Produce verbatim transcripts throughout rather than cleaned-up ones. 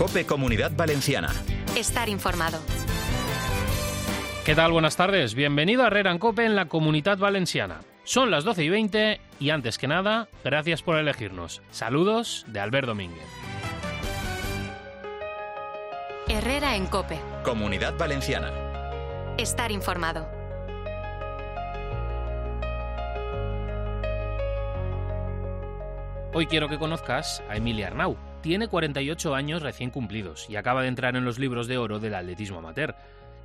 COPE Comunidad Valenciana. Estar informado. ¿Qué tal? Buenas tardes. Bienvenido a Herrera en COPE en la Comunidad Valenciana. Son las doce y veinte y antes que nada, gracias por elegirnos. Saludos de Albert Domínguez. Herrera en COPE. Comunidad Valenciana. Estar informado. Hoy quiero que conozcas a Emilia Arnau. Tiene cuarenta y ocho años recién cumplidos y acaba de entrar en los libros de oro del atletismo amateur.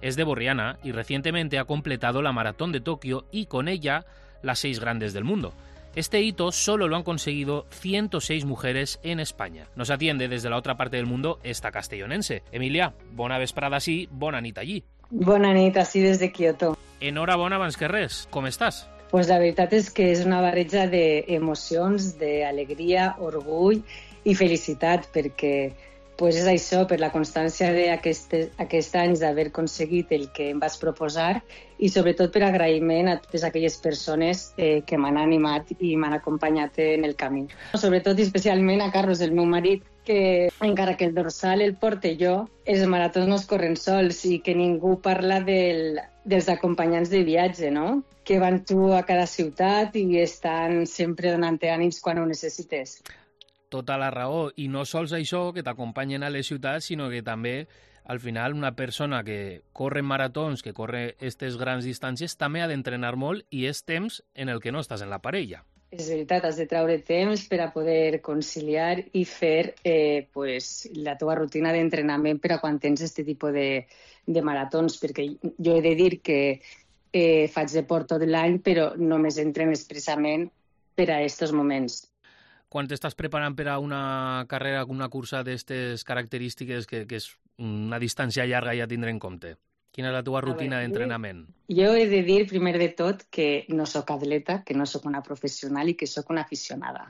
Es de Borriana y recientemente ha completado la Maratón de Tokio y con ella las seis grandes del mundo. Este hito solo lo han conseguido ciento seis mujeres en España. Nos atiende desde la otra parte del mundo esta castellonense. Emilia, bona vesprada sí, bona nit allí. Bona nit, així des de Kyoto. Enhorabona abans que res, com estàs? Pues la veritat és que és una barreja d'emocions, d'alegria, orgull i felicitat, perquè pues és això, per la constància d'aquests anys d'haver aconseguit el que em vaig proposar i sobretot per agraïment a totes aquelles persones eh, que m'han animat i m'han acompanyat en el camí. Sobretot i especialment a Carlos, el meu marit, que encara que el dorsal el porte jo, els maratons no es corren sols i que ningú parla del, dels acompanyants de viatge, no? Que van tu a cada ciutat i estan sempre donant-te ànims quan ho necessites. Tota la raó, i no sols això, que t'acompanyen a les ciutats, sinó que també, al final, una persona que corre maratons, que corre aquestes grans distàncies, també ha d'entrenar molt i és temps en el que no estàs en la parella. És veritat, has de treure temps per a poder conciliar i fer eh, pues, la teva rutina d'entrenament per a quan tens aquest tipus de, de maratons, perquè jo he de dir que eh, faig deport tot l'any, però només entreno expressament per a aquests moments. Quan t'estàs preparant per a una carrera, una cursa d'aquestes característiques, que, que és una distància llarga ja tindre en compte? Quina és la teva rutina d'entrenament? Jo he de dir, primer de tot, que no sóc atleta, que no sóc una professional i que sóc una aficionada.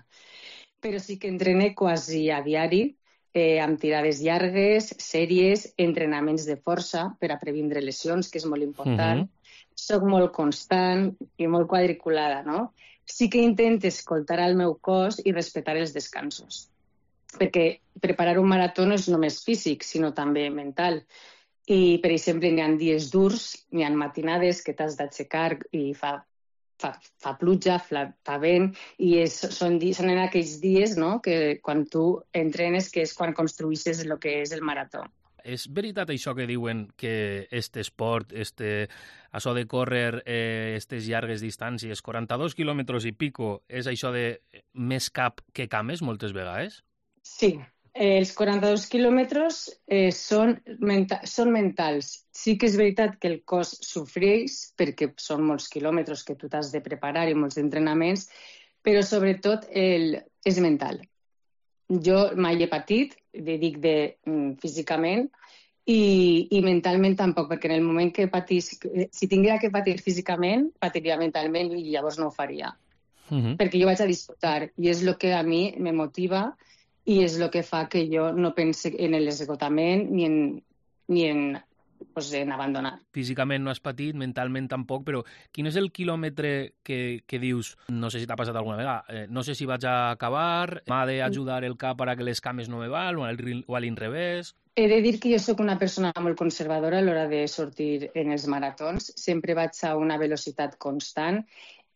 Però sí que entrene quasi a diari, eh, amb tirades llargues, sèries, entrenaments de força per a previndre lesions, que és molt important. Uh-huh. Soc molt constant i molt quadriculada, no? Sí que intento escoltar el meu cos i respectar els descansos. Perquè preparar un marató no és només físic, sinó també mental. I, per exemple, n'hi ha dies durs, n'hi ha matinades que t'has d'aixecar i fa, fa, fa pluja, fa, fa vent, i és, són, són en aquells dies, no?, que quan tu entrenes, que és quan construïsses el que és el marató. És veritat això que diuen que este esport, este, això de córrer eh, estes llargues distàncies, quaranta-dos quilòmetres i pico, és això de més cap que cames moltes vegades? Sí, eh, els quaranta-dos quilòmetres eh, són, menta són mentals. Sí que és veritat que el cos sofreix perquè són molts quilòmetres que tu t'has de preparar i molts entrenaments, però sobretot el, és mental. Jo mai he patit, dic de físicament, i, i mentalment tampoc, perquè en el moment que patís, si tinguera que patir físicament, patiria mentalment i llavors no ho faria. Uh-huh. Perquè jo vaig a disfrutar i és el que a mi me motiva i és el que fa que jo no pense en l'esgotament ni en, ni en, pues, en abandonar. Físicament no has patit, mentalment tampoc, però quin és el quilòmetre que, que dius, no sé si t'ha passat alguna vegada, eh, no sé si vaig a acabar, m'ha d'ajudar el cap para que les cames no me val, o a l'inrevés? He de dir que jo sóc una persona molt conservadora a l'hora de sortir en els maratons. Sempre vaig a una velocitat constant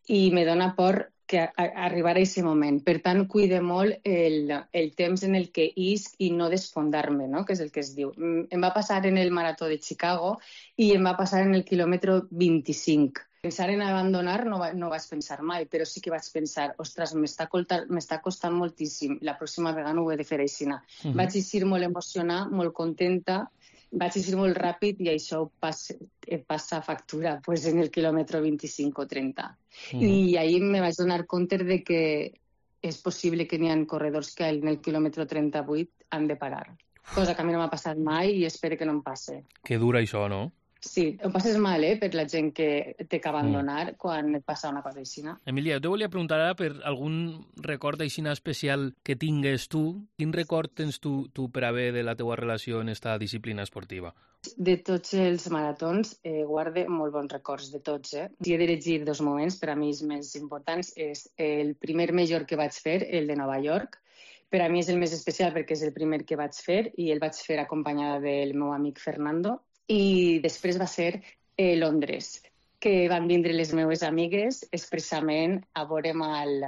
i me dona por que a, a arribar a aquest moment. Per tant, cuide molt el, el temps en el que isc i no desfondar-me, no?, que és el que es diu. Em va passar en el marató de Chicago i em va passar en el quilòmetre vint-i-cinc. Pensar en abandonar no, va, no vaig pensar mai, però sí que vaig pensar, ostres, m'està costant moltíssim, la pròxima vegada no ho he de fer així. Uh-huh. Vaig eixir molt emocionada, molt contenta, vaig eixir molt ràpid i això passa, passa factura pues, en el quilòmetre vint-i-cinc o trenta. Uh-huh. I ahir me vaig donar compte de que és possible que n'hi ha corredors que en el quilòmetre trenta-vuit han de parar. Cosa que a mi no m'ha passat mai i espero que no em passe. Que dura això, no? Sí, ho passes mal, eh, per la gent que té que abandonar mm. quan et passa una cosa així. Emilia, jo te volia preguntar ara per algun record així especial que tingues tu. Quin record tens tu, tu per haver de la teua relació en esta disciplina esportiva? De tots els maratons eh, guarde molt bons records, de tots. Eh? Si he d'elegir dos moments, per a mi els més importants, és el primer major que vaig fer, el de Nova York, Per a mi és el més especial perquè és el primer que vaig fer i el vaig fer acompanyada del meu amic Fernando. I després va ser eh, Londres, que van vindre les meves amigues expressament a veure'm al,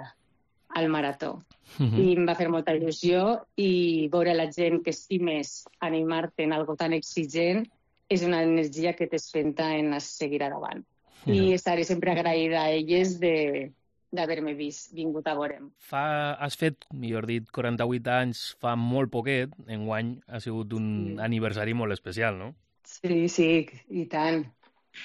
al marató. Uh-huh. I em va fer molta il·lusió i veure la gent que estimes animar-te en algo tan exigent és una energia que t'espenta en seguir endavant. Uh-huh. I estaré sempre agraïda a elles de... d'haver-me vist, vingut a veure'm. Fa, has fet, millor dit, quaranta-vuit anys, fa molt poquet, enguany ha sigut un sí. aniversari molt especial, no? Sí, sí, i tant.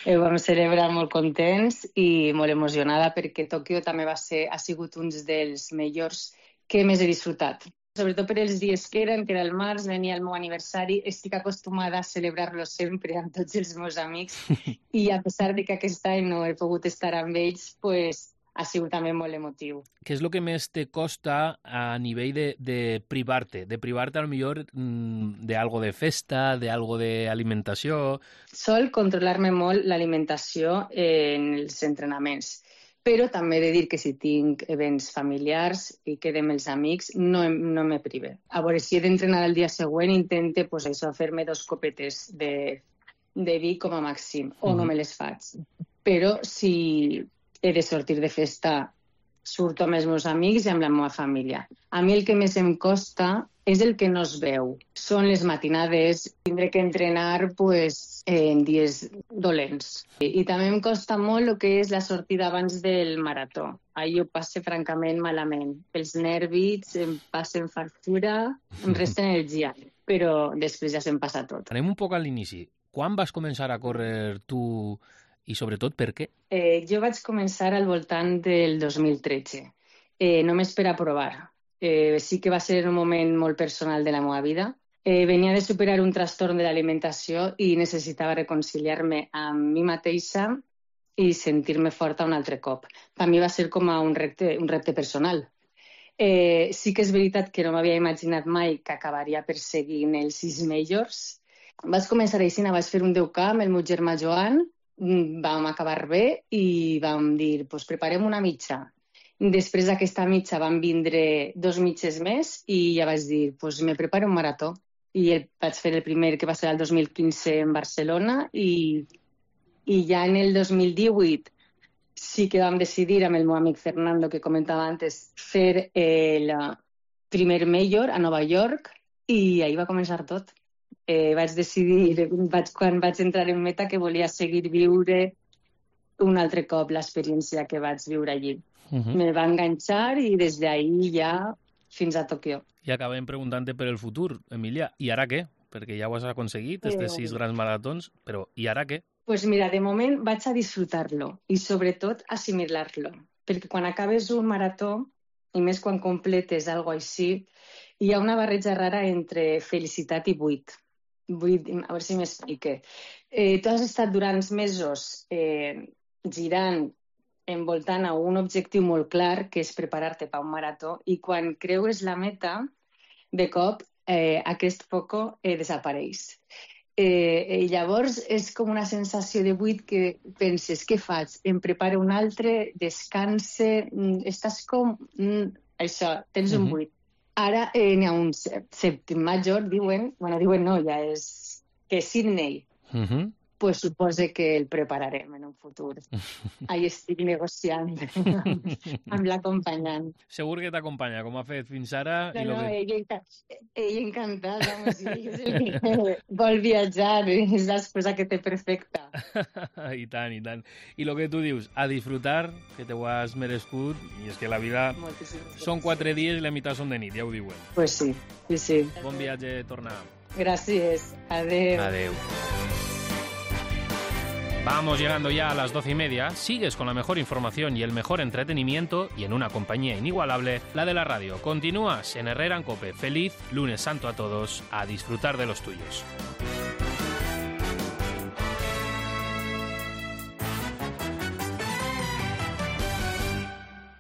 Ho vam celebrar molt contents i molt emocionada perquè Tòquio també va ser, ha sigut un dels millors que més he disfrutat. Sobretot per els dies que eren, que era el març, venia el meu aniversari, estic acostumada a celebrar-lo sempre amb tots els meus amics i a pesar de que aquest any no he pogut estar amb ells, pues, ha sigut també molt emotiu. Què és el que més te costa a nivell de, de privar-te? De privar-te, potser, d'algo de festa, d'algo d'alimentació? Sol controlar-me molt l'alimentació en els entrenaments, però també he de dir que si tinc events familiars i quedem els amics, no, no me prive. A veure, si he d'entrenar el dia següent, intente pues, això, fer-me dos copetes de, de vi com a màxim, o no me les faig. Però si he de sortir de festa, surto amb els meus amics i amb la meva família. A mi el que més em costa és el que no es veu. Són les matinades, tindré que entrenar pues, en dies dolents. I, I també em costa molt el que és la sortida abans del marató. Ahir ho passe francament malament. Els nervis em passen factura, em resten energia, però després ja se'm passa tot. Anem un poc a l'inici. Quan vas començar a córrer tu i sobretot per què? Eh, jo vaig començar al voltant del dos mil tretze, eh, només per a provar. Eh, sí que va ser un moment molt personal de la meva vida. Eh, venia de superar un trastorn de l'alimentació i necessitava reconciliar-me amb mi mateixa i sentir-me forta un altre cop. Per mi va ser com a un repte, un repte personal. Eh, sí que és veritat que no m'havia imaginat mai que acabaria perseguint els sis majors. Vaig començar així, vaig fer un deu K amb el meu germà Joan, vam acabar bé i vam dir, pues preparem una mitja. Després d'aquesta mitja van vindre dos mitges més i ja vaig dir, pues me preparo un marató. I el, vaig fer el primer, que va ser el dos mil quinze en Barcelona, i, i ja en el dos mil divuit sí que vam decidir amb el meu amic Fernando, que comentava antes, fer el primer major a Nova York i ahí va començar tot. Eh, vaig decidir, vaig, quan vaig entrar en meta, que volia seguir viure un altre cop l'experiència que vaig viure allí. Uh-huh. Me va enganxar i des d'ahir ja fins a Tòquio. I acabem preguntant-te per el futur, Emilia. I ara què? Perquè ja ho has aconseguit, aquests sis grans maratons, però i ara què? Pues mira, de moment vaig a disfrutar-lo i sobretot assimilar-lo. Perquè quan acabes un marató, i més quan completes algo així, hi ha una barreja rara entre felicitat i buit. Vull, a veure si m'explique. Eh, tu has estat durant mesos eh, girant, envoltant a un objectiu molt clar, que és preparar-te per un marató, i quan creues la meta, de cop, eh, aquest foco eh, desapareix. Eh, i llavors és com una sensació de buit que penses, què faig? Em preparo un altre, descanse, estàs com... Mm, això, tens un buit. Ara eh, n'hi ha un sèptim major, diuen, bueno, diuen no, ja és que és Sydney. Uh-huh. Pues supose que el prepararem en un futur. Ahí estic negociant amb l'acompanyant. Segur que t'acompanya, com ha fet fins ara. No, i no, que... ella, ella encantada, vamos, és el que vol viatjar, és l'excusa que té perfecta. I tant, i tant. I el que tu dius, a disfrutar, que te ho has merescut, i és que la vida són quatre dies i la meitat són de nit, ja ho diuen. Pues sí, sí, sí. Bon viatge, tornar. Gràcies, adeu. Adeu. Vamos llegando ya a las doce y media. Sigues con la mejor información y el mejor entretenimiento y en una compañía inigualable, la de la radio. Continúas en Herrera en COPE. Feliz lunes santo a todos. A disfrutar de los tuyos.